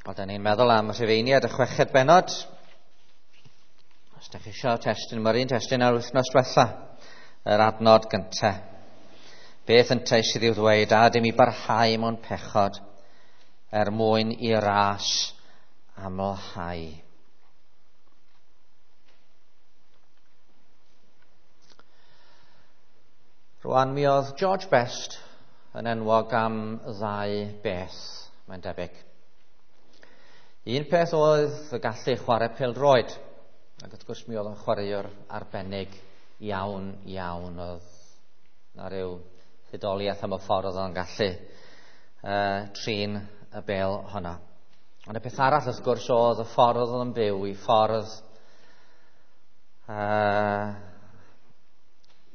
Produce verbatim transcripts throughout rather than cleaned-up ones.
Wel, da ni'n meddwl am Rhufeiniad y chweched bennod. Os da chi eisiau testun, mae'r un testun ar wythnos diwetha, yr adnod gyntaf. Beth yntau sydd i'w ddweud, a dim i barhau mewn pechod er mwyn i ras amlhau. Rwan mi oedd George Best yn enwog am ddau beth, mae'n debyg. Un peth oedd y gallu chwarae pêl-droed, ac wrth gwrs mi oedd o'n chwaraewr arbennig iawn, iawn. Oedd na ryw hudoliaeth am y ffordd oedd o'n gallu uh, trin y bêl honna. Ond y peth arall wrth gwrs oedd y ffordd oedd o'n byw, i ffordd uh,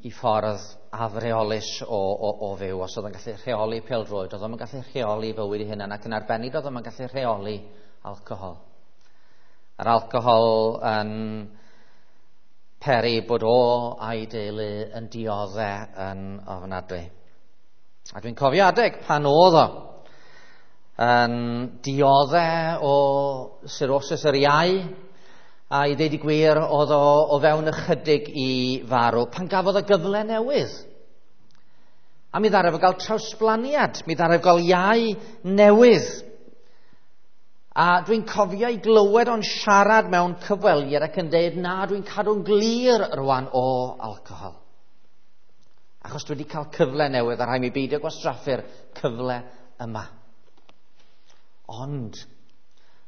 i ffordd afreolus o, o, o fyw. Os oedd o'n gallu rheoli pêl-droed, oedd o'n gallu rheoli fywyd ei hunan, ac yn arbennig oedd o'n gallu rheoli alcohol. A'r alcohol yn peri bod o a'i deulu yn diodde yn ofnadwy. A dwi'n cofio adeg pan oedd o yn diodde o cirrhosis yr iau, a i ddeud y gwir oedd o o fewn ychydig i farw pan gafodd y gyfle newydd. A mi ddaru fo gael trawsblaniad, mi ddaru fo gael iau newydd. A dwi'n cofio i glywed o'n siarad mewn cyfweliad ac yn deud, na, dwi'n cadw'n glir rwan o alcohol. Achos dwi wedi cael cyfle newydd a rhaid mi beidio gwastraffu'r cyfle yma. Ond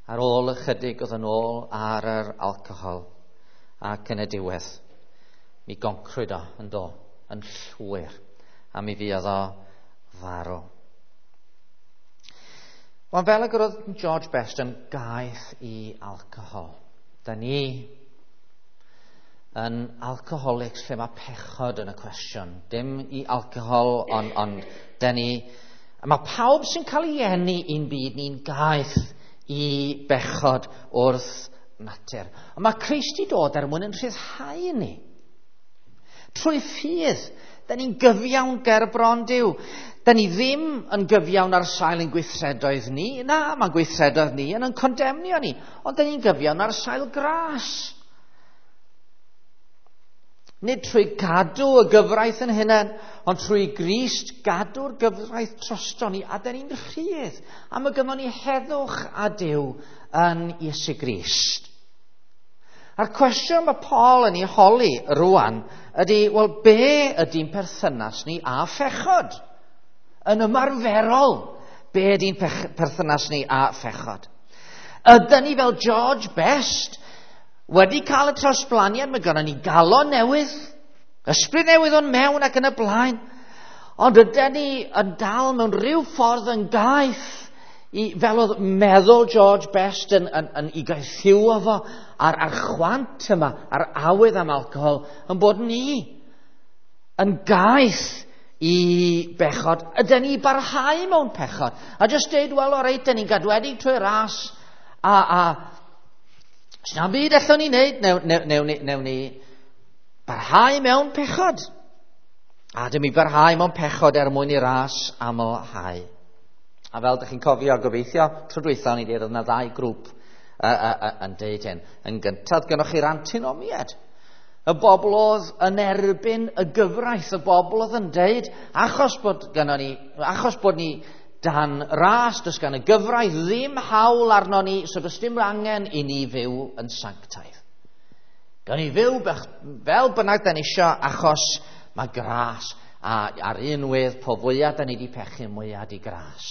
ar ôl ychydig oedd yn ôl ar yr alcohol ac yn y diwedd, mi goncrwyd o yn do, yn llwyr, a mi fuodd o farw. Wel, fel ag oedd George Best yn gaeth i alcohol, da ni yn alcoholics lle mae pechod yn y cwestiwn. Dim i alcohol, ond on, da ni... A mae pawb sy'n cael ei eni i'n byd ni'n gaeth i bechod wrth natur. Ond mae Crist i dod er mwyn yn rhyddhau ni. Trwy ffydd, da ni'n gyfiawn ger bron Duw. Da ni ddim yn gyfiawn ar sail ein gweithredoedd ni. Na, mae'n gweithredoedd ni yn yn condemnio ni. Ond da ni'n gyfiawn ar sail gras. Nid trwy gadw y gyfraith yn hunain, ond trwy Grist gadw'r gyfraith drosto ni, a da ni'n rhydd. A mae gynnon ni heddwch a Duw yn Iesu Grist. A'r cwestiwn mae Paul yn ei holi rwan ydy, wel, be ydy'n perthynas ni â phechod? Yn ymarferol, be ydy'n perthynas ni â phechod? Ydyn ni fel George Best wedi cael y trawsblaniad, mae gynnon ni galon newydd, ysbryd newydd o'n mewn ac yn y blaen, ond ydyn ni yn dal mewn rhyw ffordd yn gaeth i, fel oedd meddwl George Best yn, yn, yn i gaethiwo fo a'r, a'r chwant yma, a'r awydd am alcohol, yn bod ni yn gaeth i bechod. Ydyn ni barhau mewn pechod? A jyst deud, wel, o reit, dyn ni'n gadwedig trwy ras, a, a sna'm byd allwn ni wneud, newn, newn, newn, newn ni barhau mewn pechod. A dim i barhau mewn pechod er mwyn i ras amlhau. A fel ydych chi'n cofio, gobeithio, tro dwytha o'n i dweud, oedd yna ddau grŵp uh, uh, uh, yn deud hyn. Yn gyntaf, gynnwch chi'r antinomiad. Y bobl oedd yn erbyn y gyfraith, y bobl oedd yn deud, achos bod gynnon ni, achos bod ni dan ras, does gan y gyfraith ddim hawl arno ni, so does dim angen i ni fyw yn sanctaidd. Gawn ni fyw fel bynnag da ni isio, achos mae gras, a ar un wedd, po fwyaf da ni di pechu, mwyaf di gras.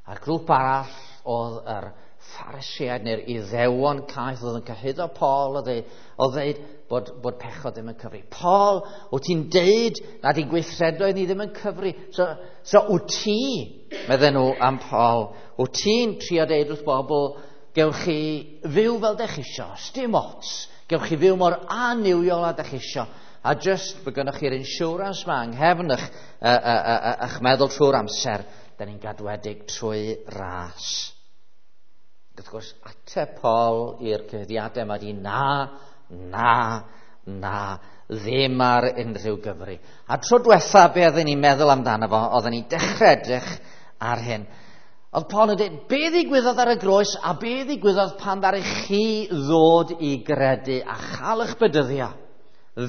A'r grŵp arall oedd yr Phariseaid neu'r Iddewon caeth oedd yn cyhuddo Paul oedd ddeud bod, bod pechod ddim yn cyfri. Paul, wyt ti'n deud nad i'n gweithredoedd ni ddim yn cyfri. So, so wyt ti, medden nhw am Paul, wyt ti'n trio deud wrth bobl, gewch chi fyw fel dech isio, sdim ots, gewch chi fyw mor annuwiol a dech isio. A just bod gynnoch chi'r insurance ma yng nghefn eich, uh, uh, uh, eich meddwl trwy'r amser, da ni'n gadwedig trwy ras. Wrth gwrs, ateb Paul i'r cyhuddiadau yma di na, na, na, ddim ar unrhyw gyfri. A tro diwetha be oedden ni'n meddwl amdano fo, oedden ni'n dechrau edrych ar hyn. Oedd Paul yn dweud, be ddigwyddodd ar y groes a be ddigwyddodd pan ddaru chi ddod i gredu a chael eich bedyddio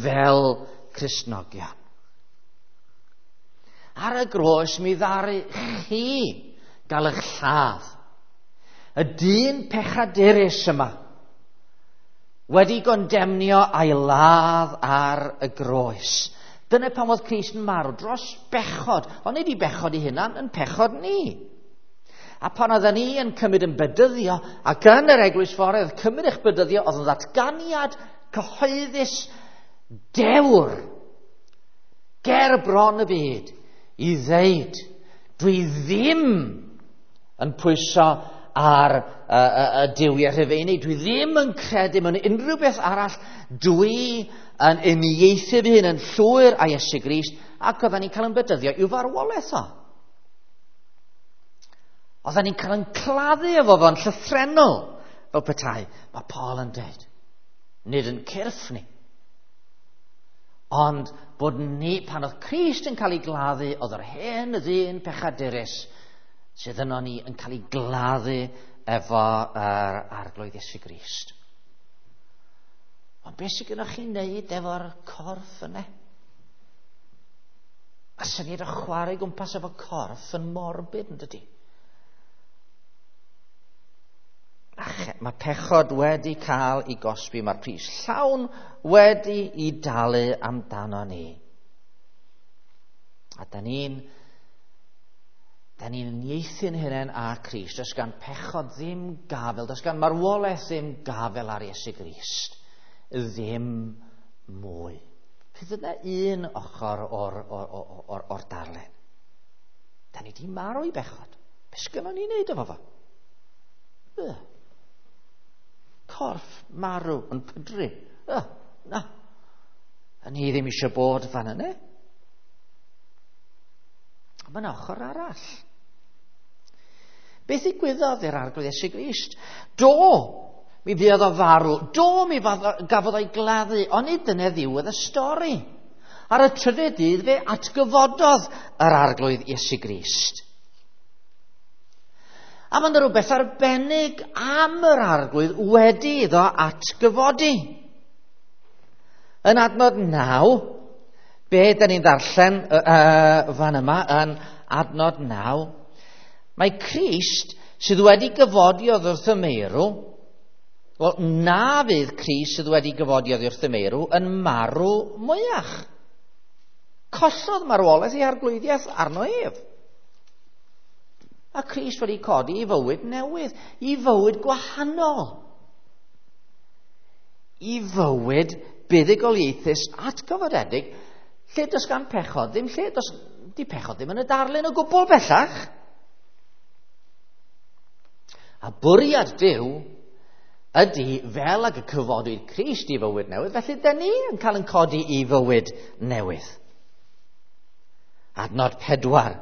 fel Cristnogion. Ar y groes mi ddaru chi gael eich lladd. Y dyn pechadurus yma wedi gondemnio a'i ladd ar y groes. Dyna pan oedd Crist yn marw dros bechod, ond nid i bechod ei hunan, yn pechod ni. A pan oedden ni yn cymryd yn bedyddio, ac yn yr eglwys fore oedd cymryd eich bedyddio, oedd yn ddatganiad cyhoeddus dewr ger bron y byd i ddeud, dwi ddim yn pwyso ar y, y, y duwiau Rhufeinig, dwi ddim yn credu mewn unrhyw beth arall, dwi yn uniaethu fy hun yn llwyr â Iesu Grist, ac oedden ni'n cael yn bedyddio i'w farwolaeth o. Oedden ni'n cael yn claddu efo fo'n llythrennol, fel petai. Mae Paul yn dweud, nid yn cyrff ni, ond bod ni, pan oedd Crist yn cael ei gladdu, oedd yr hen ddyn pechadurus sydd yno ni yn cael ei gladdu efo yr Arglwydd Iesu Grist. Ond beth sydd gennych chi'n neud efo'r corff yna? A syniad o chwarae gwmpas efo corff yn morbid, yn dydi? Mae pechod wedi cael ei gosbi, mae'r pris llawn wedi ei dalu amdano ni. A da ni'n da ni'n uniaethu'n hunain â Crist. Does gan pechod ddim gafel, does gan marwolaeth ddim gafel ar Iesu Grist. Ddim mwy. Fydd yna un ochr o'r, or, or, or, or darlun. Da ni di marw i bechod. Be sgynnon ni'n neud efo fo? Yy. Corff marw yn pydru. Yy, na. A ni ddim eisiau bod fan yna. Mae yna ochr arall. Beth ddigwyddodd i'r Arglwydd Iesu Grist? Do, mi fuodd o farw. Do, mi gafodd o'i gladdu. Ond nid dyna ddiwedd y stori. Ar y trydydd dydd fe atgyfododd yr Arglwydd Iesu Grist. A mae yna rhywbeth arbennig am yr Arglwydd wedi iddo atgyfodi. Yn adnod naw, be da ni'n ddarllen uh, fan yma yn adnod naw, mae Crist sydd wedi gyfodi oddi wrth y meirw, wel, na fydd Crist sydd wedi gyfodi oddi wrth y meirw yn marw mwyach. Collodd marwolaeth ei arglwyddiaeth arno ef. A Crist wedi codi i fywyd newydd, i fywyd gwahanol, i fywyd buddugoliaethus atgyfodedig, lle does gan pechod ddim, lle does di pechod ddim yn y darlun o gwbl bellach. A bwriad Duw ydy fel ag y cyfodwyd Crist i fywyd newydd, felly da ni yn cael yn codi i fywyd newydd. Adnod pedwar.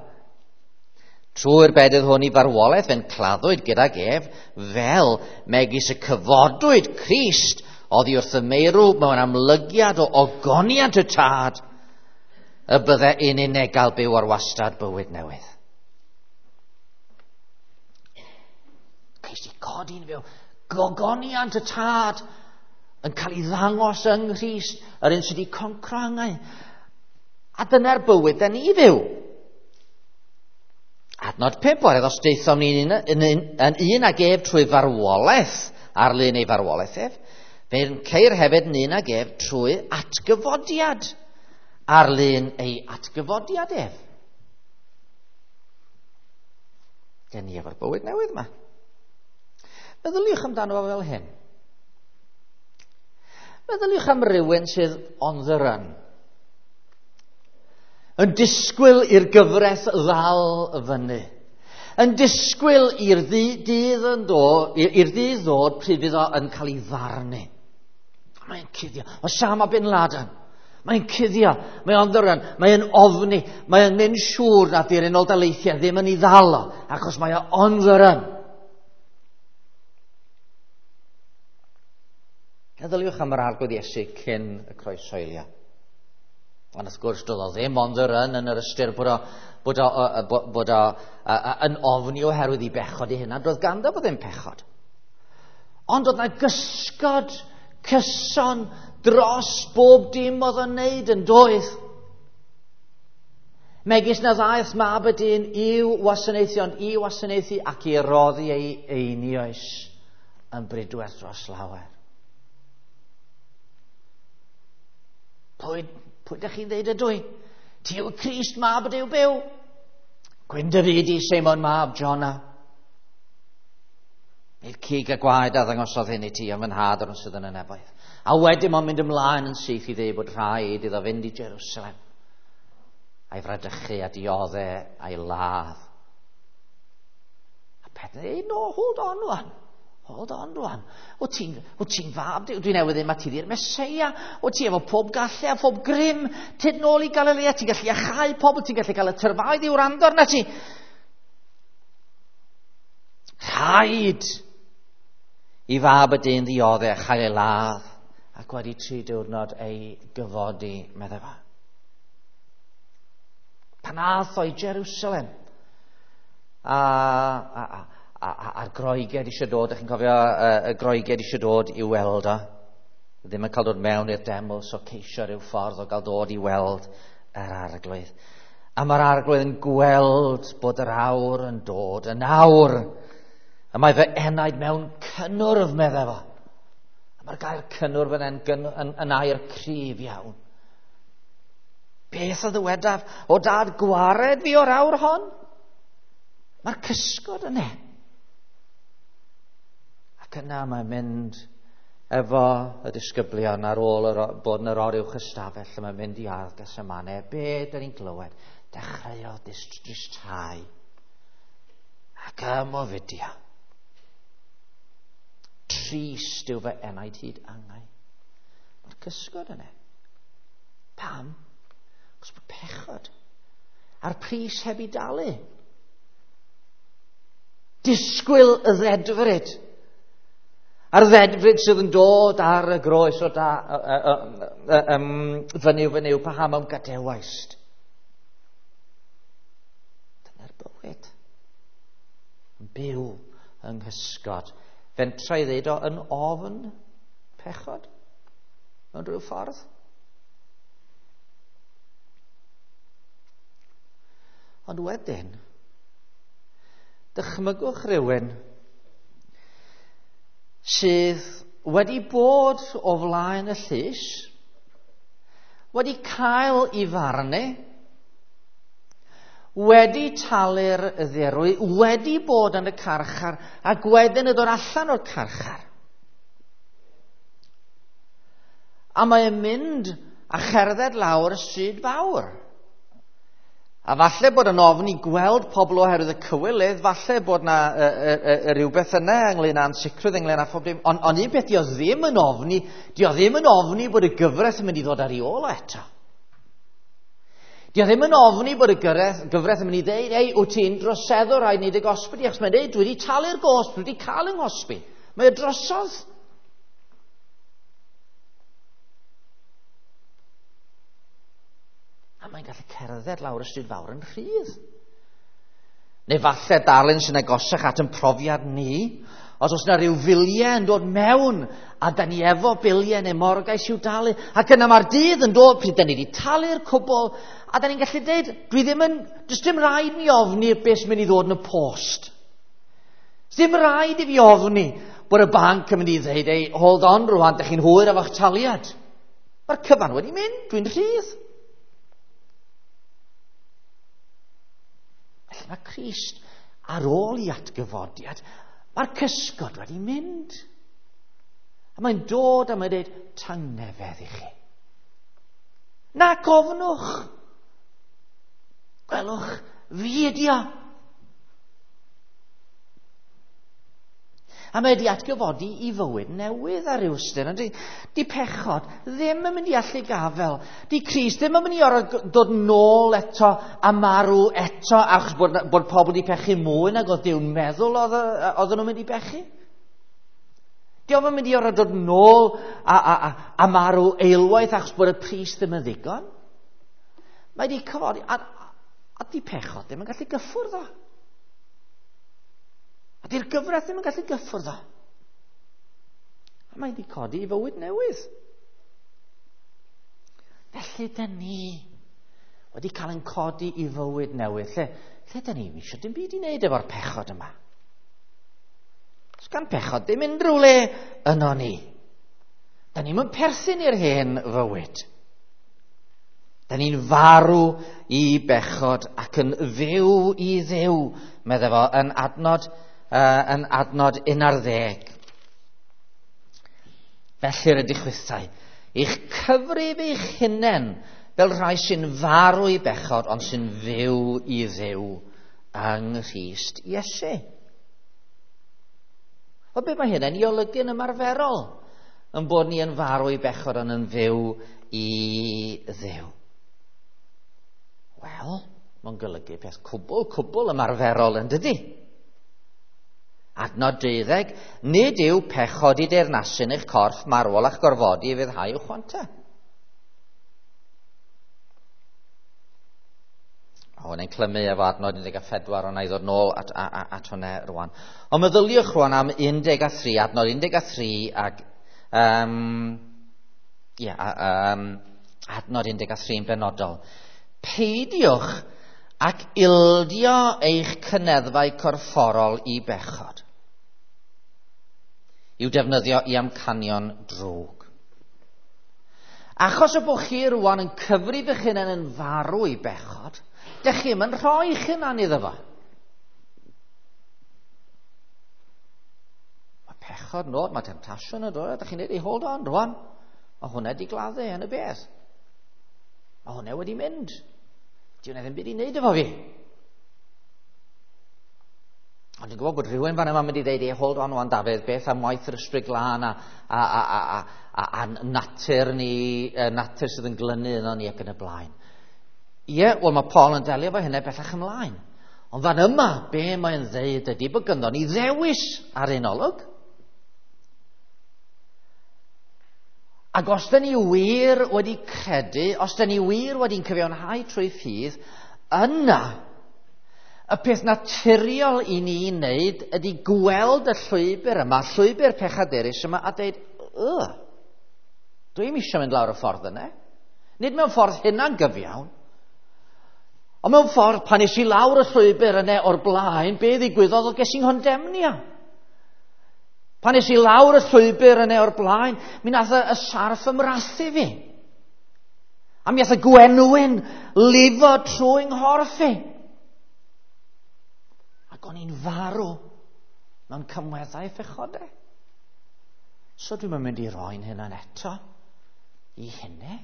Trwy'r bedydd hwn i farwolaeth fe'n claddwyd gydag ef, fel megis y cyfodwyd Crist oddi wrth y meirw mewn amlygiad o ogoniant y Tad, y bydde un unig byw ar wastad bywyd newydd. Crist i codi'n fyw. Gogoniant y Tad yn cael ei ddangos yng Nghrist, yr un sydd wedi concro angau. A dyna'r bywyd da ni fyw. Adnod pump, oherwydd os daethom ni yn, yn, yn, yn un ag ef trwy farwolaeth, ar lun ei farwolaeth ef, fe'n ceir hefyd yn un ag ef trwy atgyfodiad, ar lun ei atgyfodiad ef. Gen ni efo'r bywyd newydd yma. Meddyliwch amdano fo fel hyn. Meddyliwch am rywun sydd on the run. Yn disgwyl i'r gyfraith ddal fyny. Yn disgwyl i'r dydd yn dod, i'r dydd ddod pryd fydd o yn cael ei farnu. Mae'n cuddio. Osama bin Laden. Mae'n cuddio. Mae on the run. Mae'n ofni. Mae'n mynd siŵr na di'r Unol Daleithiau ddim yn ei ddal o, achos mae o on the run. Meddyliwch am yr Arglwydd Iesu cyn y croeshoelio. Ond wrth gwrs, doedd o ddim on the run yn yr ystyr bod o, bod o, bod, bod o yn ofni oherwydd i bechod ei hunan. Doedd ganddo fo ddim pechod. Ond oedd na gysgod cyson dros bob dim oedd o'n neud yn doedd. Megis na ddaeth mab y dyn i'w wasanaethu, ond i wasanaethu ac i roddi ei einioes yn bridwerth dros lawer. Pwy, pwy ydych chi'n dweud ydw i? Ti yw Crist, mab y Duw byw. Gwyn dy fyd i Seimon mab Jona. Nid cig a gwaed a ddangosodd hyn i ti, ond fy nhad o'r sydd yn y nefoedd. A wedyn mae'n mynd ymlaen yn syth i ddweud bod rhaid iddo fynd i Jerusalem a'i fradychu a diodde a'i ladd. A Pedr dweud, no, hold on rwan. Hold on rwan. O ti'n ti fab, dwi newydd ddim a ti ddi'r Meseia. O ti efo pob gallu a phob grym. Tyd nôl i Galilea, ti'n gallu iachau pobl, ti'n gallu cael y tyrfaoedd i wrando arna ti. Rhaid i fab y dyn ddiodde a chael ei ladd ac wedi tri diwrnod ei gyfodi, meddai fo. Pan ath o i Jerusalem a, a, a, a, a'r Groegiaid eisiau dod, ydych chi'n cofio y Groegiaid eisiau dod i weld o. Ddim yn cael dod mewn i'r deml, so ceisio rhyw ffordd o gael dod i weld yr arglwydd. A mae'r arglwydd yn gweld bod yr awr yn dod, yn awr. A mae fy enaid mewn cynnwrf, meddai fo. A mae'r gair cynnwrf yn, yn, yn, yn air cryf iawn. Beth a ddywedaf? O dad, gwared fi o'r awr hon? Mae'r cysgod yna. Ac yna mae'n mynd efo y disgyblion ar ôl yr, bod yn yr oruwch ystafell, a mae'n mynd i ardd Gethsemane. Be dyn ni'n glywed? Dechreuodd dristau ac ymofidio. Trist yw fy enaid hyd angau. Mae'r cysgod yna. Pam? Achos bod pechod a'r pris heb i dalu. Disgwyl y ddedfryd. A'r ddedfryd sydd yn dod ar y groes o da, um, fynyw fynyw, paham am gadewaist. Dyna'r bywyd. Yn byw yng nghysgod. Fentra i ddeud o yn ofn pechod mewn rhyw ffordd. Ond wedyn, dychmygwch rhywun sydd wedi bod o flaen y llys, wedi cael ei farnu, wedi talu'r ddirwy, wedi bod yn y carchar, ac wedyn yn dod allan o'r carchar. A mae'n mynd a cherdded lawr y stryd fawr. A falle bod yn ofn i gweld pobl oherwydd y cywilydd, falle bod na y, y, y, rhywbeth yna ynglyn â ansicrwydd, ynglyn â phob dim. Ond on un beth, dio ddim yn ofni, dio ddim yn ofni bod y gyfraith yn mynd i ddod ar ei ôl o eto. Dio ddim yn ofni bod y gyfraith, gyfraith yn mynd i ddeud, ei, wyt ti'n droseddwr, rhaid wneud y gosbi di, achos mae'n dweud, dwi wedi talu'r gosb, dwi wedi cael yng nghosbi. Mae o drosodd. A mae'n gallu cerdded lawr y stryd fawr yn rhydd. Neu falle darlun sy'n agosach at yn profiad ni, os oes yna rhyw filiau yn dod mewn, a da ni efo biliau neu morgais i'w dalu, ac yna mae'r dydd yn dod pryd da ni wedi talu'r cwbl, a da ni'n gallu dweud, dwi ddim yn, does dim rhaid mi ofni beth sy'n mynd i ddod yn y post. Does dim rhaid i fi ofni bod y banc yn mynd i ddweud, ei, hold on rwan, da chi'n hwyr efo'ch taliad. Mae'r cyfan wedi mynd, dwi'n rhydd. Felly mae Crist ar ôl i atgyfodiad, mae'r cysgod wedi mynd. A mae'n dod a mae'n dweud, tangnefedd i chi. Na gofnwch. Gwelwch, fi ydi o. A mae wedi atgyfodi i fywyd newydd ar ryw ystyr. Di, di pechod ddim yn mynd i allu gafel. Di Crist ddim yn mynd i orfod dod nôl eto a marw eto achos bod, bod pobl wedi pechu mwy nag oedd Duw'n meddwl oedd, oedden nhw'n mynd i bechu. Di o'm yn mynd i orfod dod nôl a, a, a, a marw eilwaith achos bod y pris ddim yn ddigon. Mae wedi cyfodi. A, A di pechod ddim yn gallu gyffwrdd o. A di'r gyfraith ddim yn gallu gyffwrdd o. A mae wedi codi i fywyd newydd. Felly dyn ni wedi cael ein codi i fywyd newydd. Lle, lle dyn ni eisiau dim byd i wneud efo'r pechod yma. Does gan pechod ddim unrhyw le yno ni. Dyn ni'm yn perthyn i'r hen fywyd. Da ni'n farw i bechod ac yn fyw i Dduw, medde fo, yn adnod, uh, yn adnod un ar ddeg. Felly rydych chwithau, eich cyfrif eich hunain fel rhai sy'n farw i bechod ond sy'n fyw i Dduw yng Nghrist Iesu. O be mae hynny'n ei olygu'n ymarferol? Yn bod ni yn farw i bechod ond yn fyw i Dduw. Wel, mae'n golygu peth cwbl, cwbl ymarferol yn dydi? Adnod deuddeg, nid yw pechod i deyrnasu yn eich corff marwol a'ch gorfodi i fyddhau i'w chwanta. O, hwnna'n clymu efo adnod un deg pedwar, ond na i ddod nôl at, at, at hwnna rwan. Ond meddyliwch rwan am un deg tri, adnod un deg tri ac um, yeah, um, adnod un deg tri yn benodol. Peidiwch ac ildio eich cyneddfau corfforol i bechod, i'w defnyddio i amcanion drwg. Achos y bod chi rwan yn cyfrif eich hunain yn farw i bechod, dych chi'm yn rhoi eich hunan iddo fo. Mae pechod yn dod, mae temtasiwn yn dod, dych chi'n dweud, hey, hold on rwan, mae hwnna wedi gladdu yn y bedd. Mae hwnna wedi mynd. Di hwnna ddim byd i wneud efo fi. Ond dwi'n gwybod bod rhywun fan yma'n mynd i ddeud, hey, hold on wan Dafydd, beth am waith yr Ysbryd Glân a, a, a, a, a, a, a natur ni, natur sydd yn glynu yno ni ac yn y blaen. Ie, wel mae Paul yn delio efo hynny bellach ymlaen. Ond fan yma, be mae'n ddeud ydy bod ganddo ni ddewis ar un olwg. Ac os dyn ni wir wedi credu, os dyn ni wir wedi'n cyfiawnhau trwy ffydd, yna y peth naturiol i ni wneud ydy gweld y llwybr yma, llwybr pechadurus yma, a dweud, y, dwi'm eisiau mynd lawr y ffordd yna. Nid mewn ffordd hunan gyfiawn, ond mewn ffordd pan es i lawr y llwybr yna o'r blaen, be ddigwyddodd oedd ges i'n nghondemnio. Pan es i lawr y llwybr yna o'r blaen, mi nath y sarff ymrathu fi. A mi nath y gwenwyn lifo trwy nghorff i. Ac o'n i'n farw mewn cymweddau phechodau. So dwi'm yn mynd i roi'n hunan eto i hynny.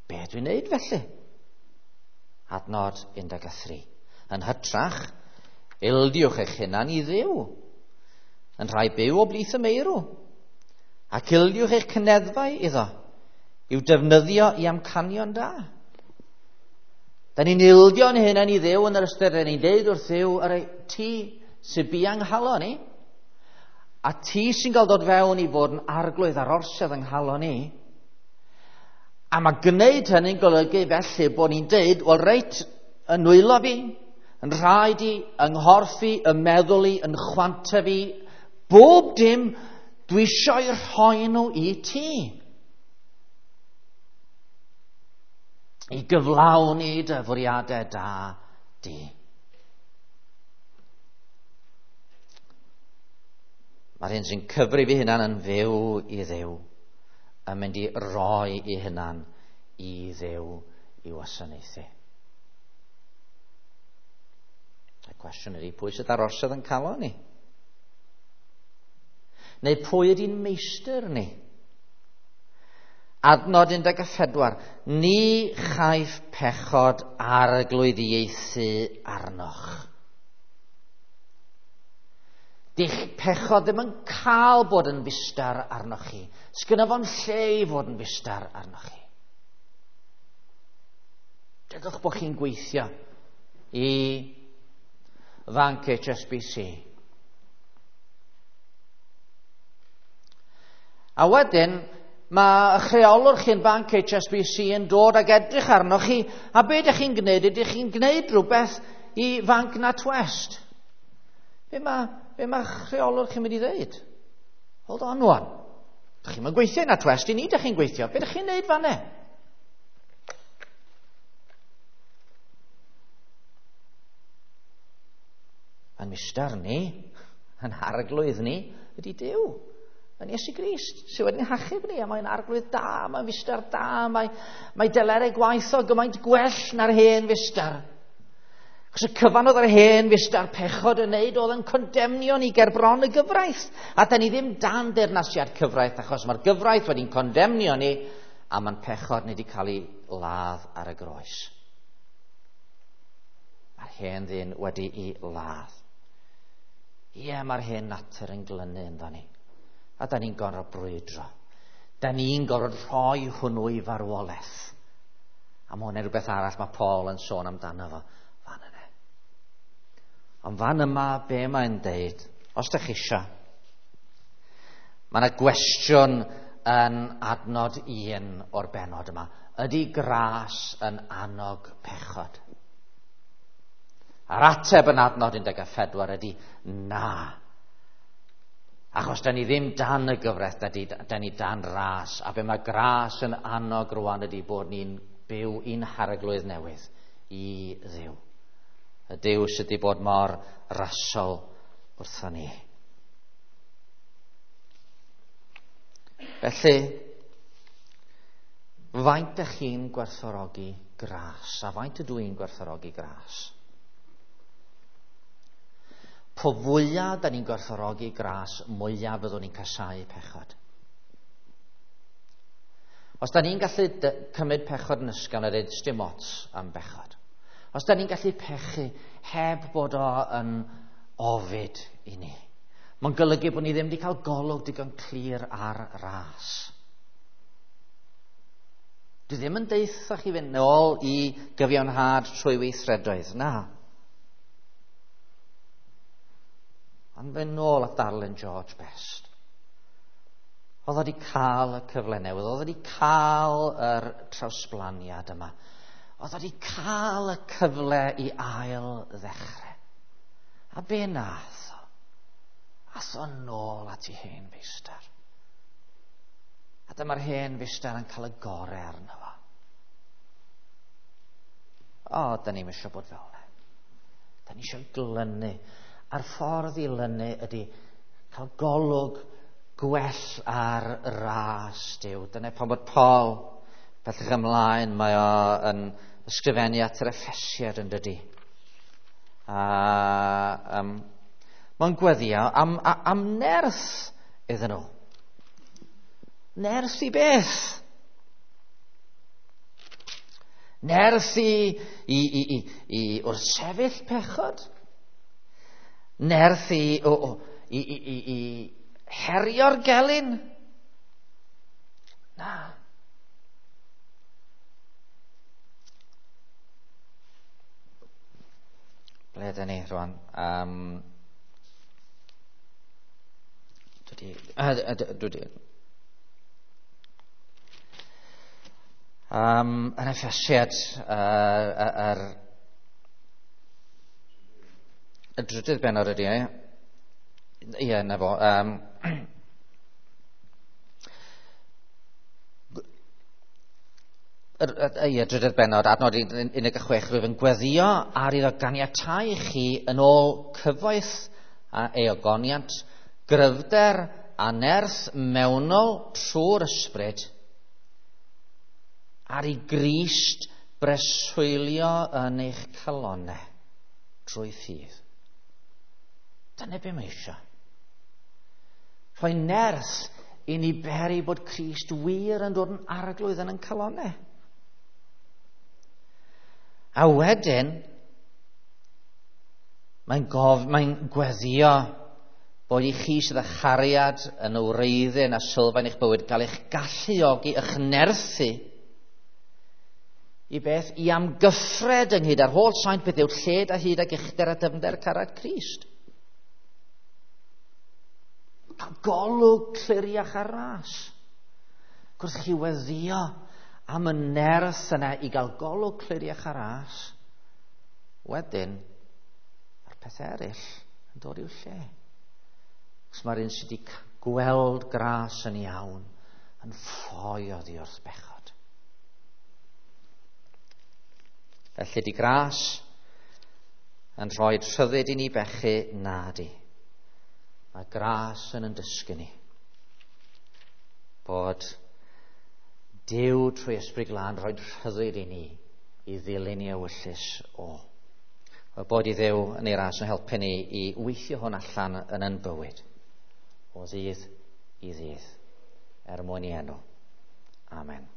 Be dwi'n neud felly? Adnod un deg tri. Yn hytrach, ildiwch eich hunan i Dduw, yn rhai byw o blith y meirw, ac ildiwch eich cyneddfau iddo, i'w defnyddio i amcanion da. Da ni'n ildio'n hunan i Dduw yn yr ystyr, da ni'n deud wrth Dduw, yr ti sy'n biang nghalon ni, a ti sy'n cael dod fewn i fod yn arglwydd ar orsedd yng nghalon ni, a mae gwneud hynny'n golygu felly bod ni'n deud, wel reit, yn nwylo fi, yn rhaid i, yng nghorff i, yn meddwl i, yn chwanta fi, bob dim dwi eisiau rhoi nhw i ti. I gyflawni dy fwriadau da di. Mae'r hyn sy'n cyfrif ei hunan yn fyw i Dduw, yn mynd i roi ei hunan i Dduw i wasanaethu. Y cwestiwn ydy, pwy sydd ar orsedd yn calon ni? Neu pwy ydy'n meistr ni? Adnod un deg pedwar, ni chaiff pechod arglwyddiaethu arnoch. Dych pechod ddim yn cael bod yn fustar arnoch chi. Sgynna fo'n lle i fod yn fustar arnoch chi. Dygwch bod chi'n gweithio i fanc H S B C. A wedyn, Mae eich rheolwr chi'n banc H S B C yn dod ag edrych arnoch chi, a be ydych chi'n gwneud? Ydych chi'n gwneud rhywbeth i fanc NatWest? Be mae, be mae rheolwr chi'n mynd i ddeud? Hold on one. Dych chi'n gweithio i NatWest, i ni ydych chi'n gweithio. Be ydych chi'n gwneud fan'na? Yn mistar ni, yn arglwydd ni, ydy Duw. Yn Iesu Grist, sydd wedi'n hachub ni, a mae'n arglwydd da, mae'n fistar da, mae, mae delerau gwaith o gymaint gwell na'r hen fistar. Achos y cyfan oedd yr hen fistar pechod yn neud oedd yn condemnio ni ger bron y gyfraith. A da ni ddim dan deyrnasiad cyfraith, achos mae'r gyfraith wedi'n condemnio ni, a mae'n pechod ni wedi cael ei ladd ar y groes. Mae'r hen ddyn wedi'i ladd. Ie, mae'r hen natur yn glynu ynddo ni. A da ni'n gorfod brwydro. Da ni'n gorfod rhoi hwnnw i farwolaeth. A mae hwnna'n rhywbeth arall mae Paul yn sôn amdano fo fan yna. Ond fan yma, be mae'n deud, os ydych chi isio, mae yna gwestiwn yn adnod un o'r bennod yma. Ydy gras yn annog pechod? A'r ateb yn adnod un deg pedwar ydy na. Achos da ni ddim dan y gyfraith, da, di, da ni dan ras. A be mae gras yn annog rwan ydy bod ni'n byw i'n harglwydd newydd i Dduw. Y Duw sydd wedi bod mor rasol wrtho ni. Felly, faint ydych chi'n gwerthfawrogi gras? A faint ydw i'n gwerthfawrogi gras? Po fwyaf da ni'n gwerthfawrogi gras, mwyaf fyddwn ni'n casáu pechod. Os da ni'n gallu cymryd pechod yn ysgafn a dweud dim ots am bechod. Os da ni'n gallu pechu heb bod o yn ofid i ni. Mae'n golygu bod ni ddim wedi cael golwg digon clir ar ras. Dwi ddim yn deutha chi fynd nôl i gyfiawnhad trwy weithredoedd, na. Ond fynd nôl at ddarllen George Best. Oedd o wedi cael y cyfle newydd, oedd o wedi cael yr trawsblaniad yma. Oedd o wedi cael y cyfle i ail ddechrau. A be nath o? Ath o nôl at ei hen feistr. A dyma'r hen feistr yn cael y gorau arno fo. O, da ni'm eisiau bod fel yna. Da ni eisiau glynu. A'r ffordd i lynu ydy cael golwg gwell ar ras Duw. Dyna pan bod Paul, bellach ymlaen, mae o yn ysgrifennu at yr Effesiaid yn dydi. A um, mae'n gweddio am, am nerth iddyn nhw. Nerth i beth? Nerth i, i, i, i, i wrthsefyll pechod? Nerth i, o, o, i, i, i, i herio'r gelyn? Na. Ble ydyn ni rwan? Um, dwi di... Um, yn Effesiaid, uh, yr... Y drydydd bennod ydy e. Ie, na fo. Um, Ie, drydydd bennod, adnod un deg chwech, rwyf yn gweddio ar iddo ganiatáu chi yn ôl cyfoeth a eogoniant, gryfder a nerth mewnol trwy'r ysbryd, ar i Grist breswylio yn eich calonnau trwy ffydd. Dyna be mae eisiau. Rhoi nerth i ni beri bod Crist wir yn dod yn arglwydd yn ein calonnau. A wedyn, mae'n gof, mae'n gweddio bod i chi sydd â chariad yn y wreiddyn a sylfaen eich bywyd gael eich galluogi, eich nerthu i beth i amgyffred ynghyd â'r holl saint beth yw'r lled a hyd ac uchder a dyfnder cariad Crist. Cael golwg cliriach ar ras. Gwrth chi weddio am y nerth yna i gael golwg cliriach ar ras, wedyn, mae'r pethau eraill yn dod i'w lle. Os mae'r un sydd wedi gweld gras yn iawn yn ffoi oddi wrth bechod. Felly di gras yn rhoi rhyddid i ni bechu na di. Mae gras yn yn dysgu ni bod Duw trwy Ysbryd Glân rhoi rhyddid i ni i ddilyn i ewyllys o. Bod i Dduw yn ei ras yn helpu ni i weithio hwn allan yn yn bywyd o ddydd i ddydd er mwyn i enw. Amen.